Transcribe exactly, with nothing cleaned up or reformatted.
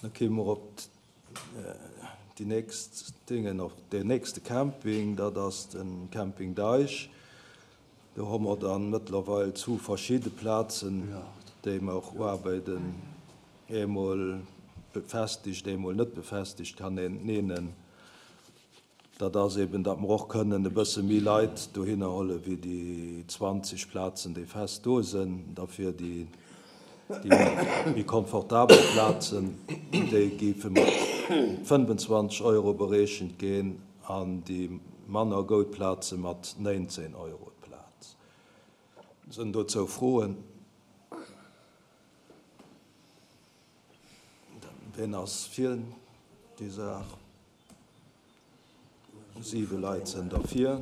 Da kéime mer op déi nächst Dingen, op deen nächste Camping, dat ass de Camping Deich. Do hu mer dann mëttlerweil zu verschidde Plazen, déi mer och uarbeiden, eemol befestegt, eemol net befestegt, kann een nennen. Dat ass eben, datt mer och kënnen e bësse méi Leit dohinner huele wéi déi zwanzeg Plazen, déi fest do sinn. Derfir déi méi komfortabel Plazen, déi géife mat fënnfenzwanzeg Euro bereechent ginn an déi manner goud Plaze mat néinzéng Euro d'Plaz. Sinn dozou Froen? Ween ass fir déi Saach? Siwe Leit sinn derfir.